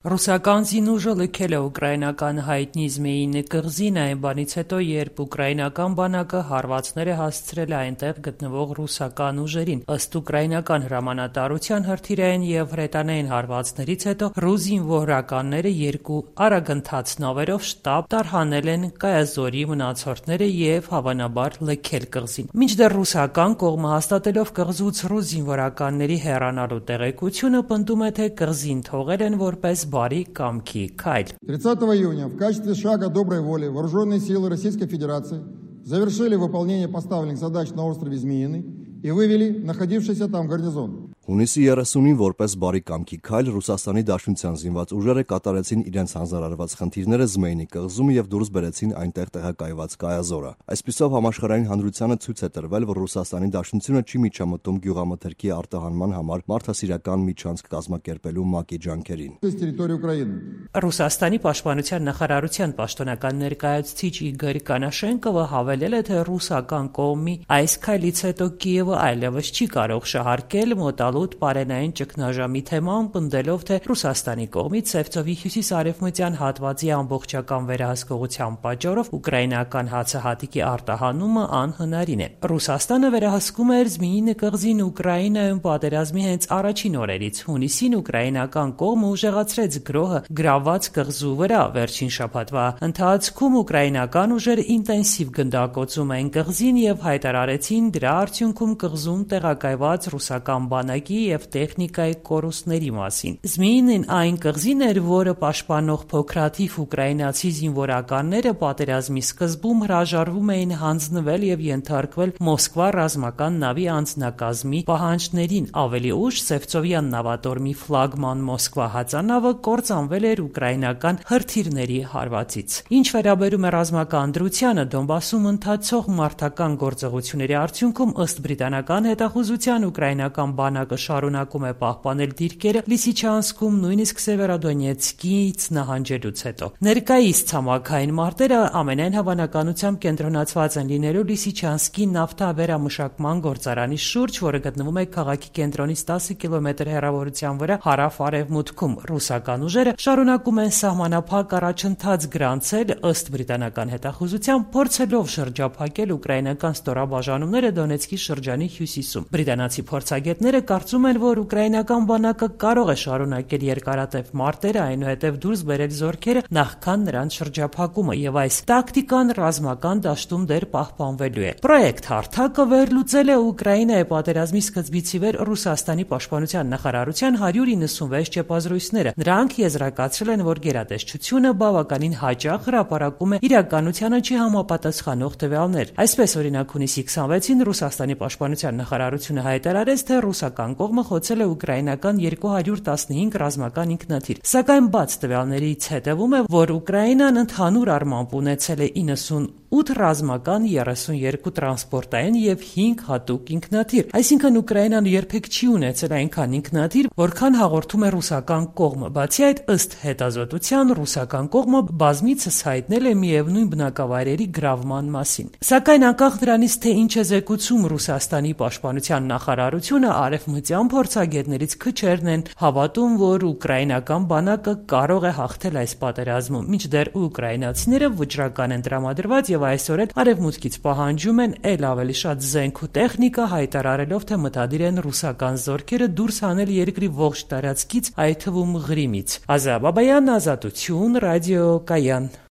Ռուսական զինուժը լքել է ուկրաինական հայտնի Զմեյինի կղզին այն բանից հետո, երբ ուկրաինական բանակը հարվածներ է հասցրել այնտեղ գտնվող ռուսական ուժերին։ Ըստ ուկրաինական հրամանատարության, հրթիռային և հրետանային հարվածներից հետո ռուս զինվորականները երկու արագընթաց նավերով շտապ տարհանել են կայազորի մնացորդները և հավանաբար լքել կղզին։ Մինչդեռ ռուսական կողմը հաստատելով կղզուց ռուս զինվորականների հեռանալու տեղեկությունը, պնդում է, թե կղզին թողել են որպես բարի կամքի քայլ։ 30 июня в качестве шага доброй воли вооруженные силы Российской Федерации завершили выполнение поставленных задач на острове Змеиный и вывели находившийся там гарнизон. Հունիսի 30-ին որպես բարի կամքի քայլ Ռուսաստանի Դաշնության զինված ուժերը կատարեցին իրենց հանձնարարված խնդիրները Զմեյնի կղզում եւ դուրս բերեցին այնտեղ տեղակայված կայազորը։ Այսպիսով համաշխարհային հանրությանը ցույց է տրվել, որ Ռուսաստանի Դաշնությունը չի միջամտում գյուղամթերքի արտահանման համար մարդասիրական միջանցք կազմակերպելու ՄԱԿ-ի ջանքերին։ Ռուսաստանի պաշտպանության նախարարության պաշտոնական ներկայացուցիչ Իգոր Կանաշենկովը հավելել է, թե ռուսական կողմի այս քայլից հետո Կիևը այլևս չի կարող շահարկել մոտալուտ պարենային ճգնաժամի թեման, պնդելով, թե Ռուսաստանի կողմից Սևծովի հյուսիս-արևմտյան հատվածի ամբողջական վերահսկողության պատճառով ուկրաինական հացահատիկի արտահանումը անհնարին է։ Ռուսաստանը վերահսկում էր Զմեյինի կղզին Ուկրաինայում պատերազմի հենց առաջին օրերից։ Հունիսին ուկրաինական կողմը ուժեղացրեց գրոհը գրավված կղզու վրա։ Վերջին շաբաթվա ընթացքում ուկրաինական ուժերը ինտենսիվ գնդակոծում են կղզին և հայտարարեցին դրա արդյունքում կղզում տեղակայված ռուսական բանակի և տեխնիկայի կորուստների մասին։ Զմեյինին այն կղզին էր, որը պաշտպանող փոքրաթիվ ուկրաինացի զինվորականները պատերազմի սկզբում հրաժարվում էին հանձնվել և ենթարկվել Մոսկվա ռազմական նավի անձնակազմի պահանջներին։ Ավելի ուշ Սևծովյան նավատորմի ֆլագման Մոսկվա հածանավը կործանվել էր ուկրաինական հրթիռների հարվածից։ Ինչ վերաբերում է ռազմական դրությանը, Դոնբասում ընթացող մարտական գործողությունների արդյունքում, ըստ բրիտանական հետախուզության, ուկրաինական բանակը շարունակում է պահպանել դիրքերը Լիսիչանսկում, նույնիսկ Սևերոդոնեցկից նահանջելուց հետո։ Ներկայիս ցամաքային մարտերը ամենայն հավանականությամբ կենտրոնացված են լինելու Լիսիչանսկի նավթավերամշակման գործարանի շուրջ, որը գտնվում է քաղաքի կենտրոնից 10 կիլոմետր հեռավորության վրա հարավ-արևմուտքում։ Ռուսական ուժերը շարունակում են սահմանափակ առաջընթաց գրանցել, ըստ բրիտանական հետախուզության, փորձելով շրջափակել ուկրաինական ստորաբաժանումները Դոնեցկի շրջանի հյուսիսում։ Բրիտանացի փորձագետները կարծում են, որ ուկրաինական բանակը կարող է շարունակել երկարատև մարտերը, այնուհետև դուրս բերել զորքերը նախքան նրանց շրջափակումը, եւ այս տակտիկան ռազմական դաշտում դեռ պահպանվելու է։ Պրոյեկտ հարթակը վերլուծել է Ուկրաինայի պատերազմի սկզբից ի վեր Ռուսաստանի պաշտպանության նախարարության 196 չեպազրույցները։ Նրանք եզրակացրել են, որ գերատեսչությունը բավականին հաճախ հրապարակում է իրականությանը չհամապատասխանող տվյալներ։ Այսպես, օրինակ, հունիսի 26-ին Ռուսաստանի պաշտպանության նախարարությունը հայտարարեց, թե ռուսական կողմը խոցել է ուկրաինական 215 ռազմական ինքնաթիռ։ Սակայն բաց տվյալներից հետևում է, որ Ուկրաինան ընդհանուր առմամբ ունեցել է 98 ռազմական, 32 տրանսպորտային և 5 հատուկ ինքնաթիռ։ Այսինքն Ուկրաինան երբեք չի ունեցել այնքան ինքնաթիռ, որքան հաղորդում է ռուսական կողմը։ Բացի այդ, ըստ հետազոտության, ռուսական կողմը բազմիցս հայտնել է միևնույն բնակավայրերի գրավման մասին։ Սակայն անկախ դրանից, թե ինչ է զեկուցում Ռուսաստանի պաշտպանության նախարարությունը, արևմտյան փորձագետներից քչերն են հավատում, որ ուկրաինական բանակը կարող է հաղթել այս պատերազմում, մինչդեռ ուկրաինացիները վճռական են տրամադրված և այսօր էլ արևմուտքից պահանջում են էլ ավելի շատ զենք ու տեխնիկա, հայտարարելով, թե մտադիր են ռուսական զորքերը դուրս հանել երկրի ողջ տարածքից, այդ թվում Ղրիմից։ Ազա Բաբայան, Ազատություն, Ռադիո Կայան։